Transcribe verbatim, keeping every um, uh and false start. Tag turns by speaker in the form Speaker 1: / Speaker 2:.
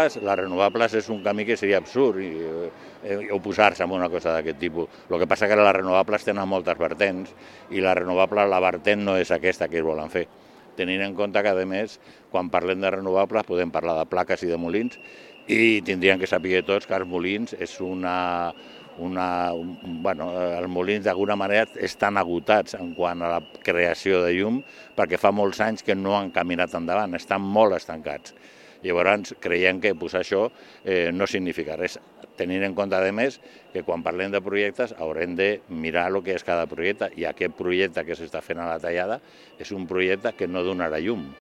Speaker 1: Les renovables és un camí que seria absurd oposar-se a una cosa d'aquest tipus. El que passa que les renovables tenen moltes vertents i la renovable, la vertent no és aquesta que es volen fer. Tenint en compte que, a més, quan parlem de renovables podem parlar de plaques i de molins i tindrien que saber tots que els molins és una... Una, bueno, els molins d'alguna manera estan agotats en quant a la creació de llum perquè fa molts anys que no han caminat endavant, estan molt estancats. Llavors creiem que posar això eh, no significa res, tenint en compte a més que quan parlem de projectes haurem de mirar el que és cada projecte i aquest projecte que s'està fent a la Tallada és un projecte que no donarà llum.